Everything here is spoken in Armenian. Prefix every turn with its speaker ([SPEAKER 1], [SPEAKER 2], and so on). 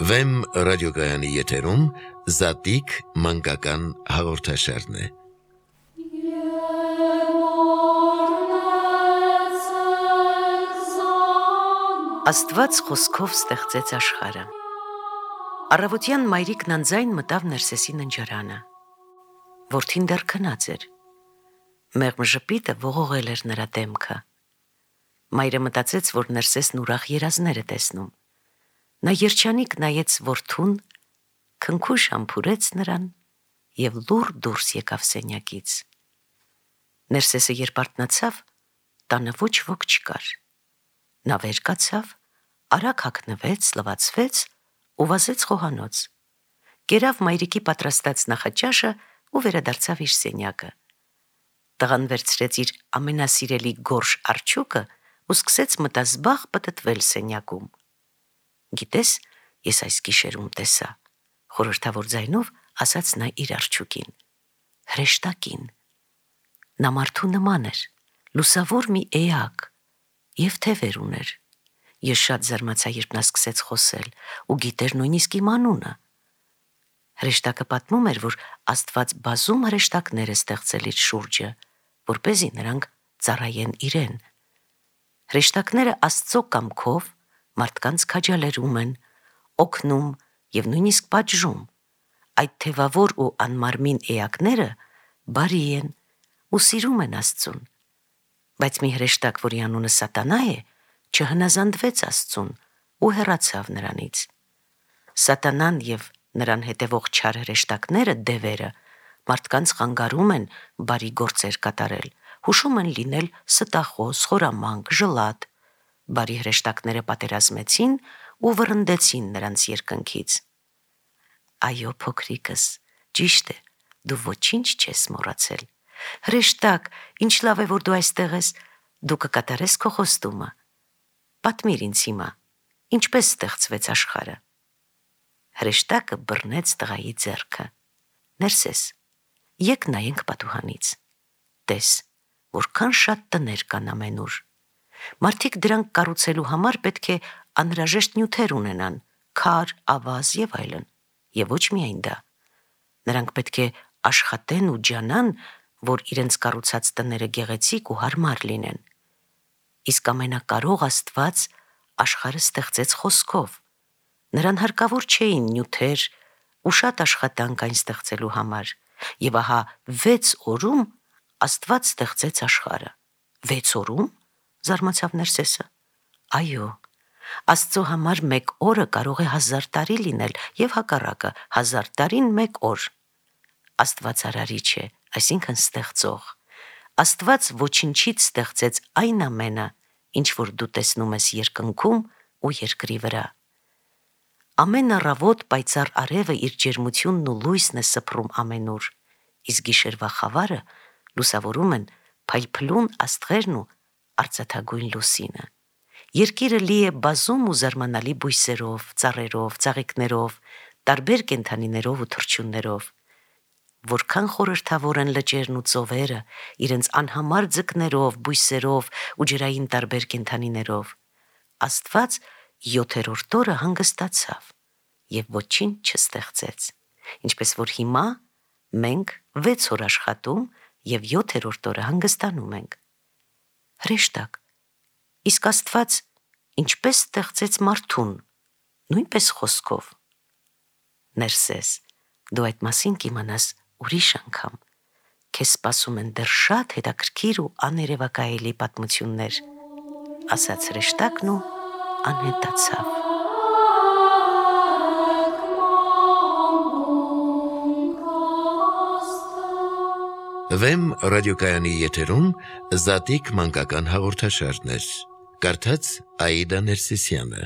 [SPEAKER 1] Վեմ ռադիոկայանի եթերում Զատիկ մանկական հաղորդաշարն է։
[SPEAKER 2] Աստված խոսքով ստեղծեց աշխարհը։ Առավոտյան մայրիկն անձայն մտավ Ներսեսի ննջարանը։ Որդին դեռ քնած էր։ Մեղմ ժպիտը ողողել էր նրա դեմքը։ Մայրը մտածեց, որ Ներսեսն ուրախ երազներ է տեսնում։ Նա երջանիկ նայեց որդուն, քնքուշ համբուրեց նրան և լուռ դուրս եկավ սենյակից։ Ներսեսը երբ արթնացավ, տանը ոչ ոք չկար։ Նա վեր կացավ, արագ հագնվեց, լվացվեց ու վազեց խոհանոց։ Կերավ մայրիկի պատրաստած նախաճաշը ու վերադարձավ իր սենյակը։ Տղան վերցրեց իր ամենասիրելի գորշ արջուկը ու սկսեց մտազբաղ պտտվել սենյակում։ Գիտես, ես այս գիշերում տեսա, խորհրդավոր ձայնով ասաց նա իր արջուկին, հրեշտակին։ Նա մարդու նման էր, լուսավոր մի էակ և թևեր ուներ։ Ես շատ զարմացա, երբ նա սկսեց խոսել ու գիտեր նույնիսկ իմ անունը։ Հրեշտակը պատմում էր, որ Աստված բազում հրեշտակներ է ստեղծել իր շուրջը, որպեսզի նրանք ծառայեն իրեն։ Հրեշտակները Աստծո կամքով մարդկանց քաջալերում են, օգնում և նույնիսկ պատժում։ Այդ թևավոր ու անմարմին էակները բարի են ու սիրում են Աստծուն։ Բայց մի հրեշտակ, որի անունը Սատանա է, չհնազանդվեց Աստծուն ու հեռացավ նրանից։ Սատանան և նրան հետևող չար հրեշտակները, դևերը, մարդկանց խանգարում են բարի գործեր կատարել, հուշում են լինել ստախոս, խորամանկ, ժլատ։ Բարի հրեշտակները պատերազմեցին ու վռնդեցին նրանց երկնքից։ Այո, փոքրիկս, ճիշտ է, դու ոչինչ չես մոռացել։ Հրեշտակ, ինչ լավ է, որ դու այստեղ ես, դու կկատարես քո խոստումը։ Պատմիր ինձ հիմա, ինչպես ստեղծվեց աշխարհը։ Հրեշտակը բռնեց տղայի ձեռքը։ Ներսես, եկ նայենք պատուհանից։ Տես, որքան շատ տներ կան ամենուր։ Մարդիկ դրանք կառուցելու համար պետք է անհրաժեշտ նյութեր ունենան, քար, ավազ և այլն, և ոչ միայն դա։ Նրանք պետք է աշխատեն ու ջանան, որ իրենց կառուցած տները գեղեցիկ ու հարմար լինեն։ Իսկ ամենակարող Աստված աշխարհը ստեղծեց խոսքով։ Նրան հարկավոր չէին նյութեր ու շատ աշխատանք այն ստեղծելու համար, և ահա 6 օրում Աստված ստեղծեց աշխարհը։ 6 օրում, զարմացավ Ներսեսը։ Այո, Աստծո համար 1 օրը կարող է 1000 տարի լինել և հակառակը 1000 տարին 1 օր։ Աստված արարիչ է, այսինքն ստեղծող։ Աստված ոչնչից ստեղծեց այն ամենը, ինչ որ դու տեսնում ես երկնքում ու երկրի վրա։ Ամեն առավոտ պայծառ արևը իր ջերմությունն ու լույսն է սփռում ամենուր, իսկ գիշերվա խավարը լուսավորում են փայլփլուն աստղերն ու արծաթագույն լուսինը։ Երկիրը լի է բազում ու զարմանալի բույսերով, ծառերով, ծաղիկներով, տարբեր կենդանիներով ու թռչուններով։ Որքան խորհրդավոր են լճերն ու ծովերը, իրենց անհամար ձկներով, բույսերով ու ջրային տարբեր կենդանիներով։ Աստված 7-րդ օրը հանգստացավ և ոչինչ չստեղծեց, ինչպես որ հիմա մենք 6 օր աշխատում և 7-րդ օրը հանգստանում ենք։ Հրեշտակ, իսկ Աստված ինչպես ստեղծեց մարդուն, նույնպես խոսքով։ Ներսես, դու այդ մասին կիմանաս ուրիշ անգամ։ Քեզ սպասում են դեռ շատ հետաքրքիր ու աներևակայելի պատմություններ, ասաց հրեշտակն ու անհետացավ։
[SPEAKER 1] Վեմ ռադիոկայանի եթերում Զատիկ մանկական հաղորդաշարներ։ Կարդաց Աիդա Ներսիսյանը։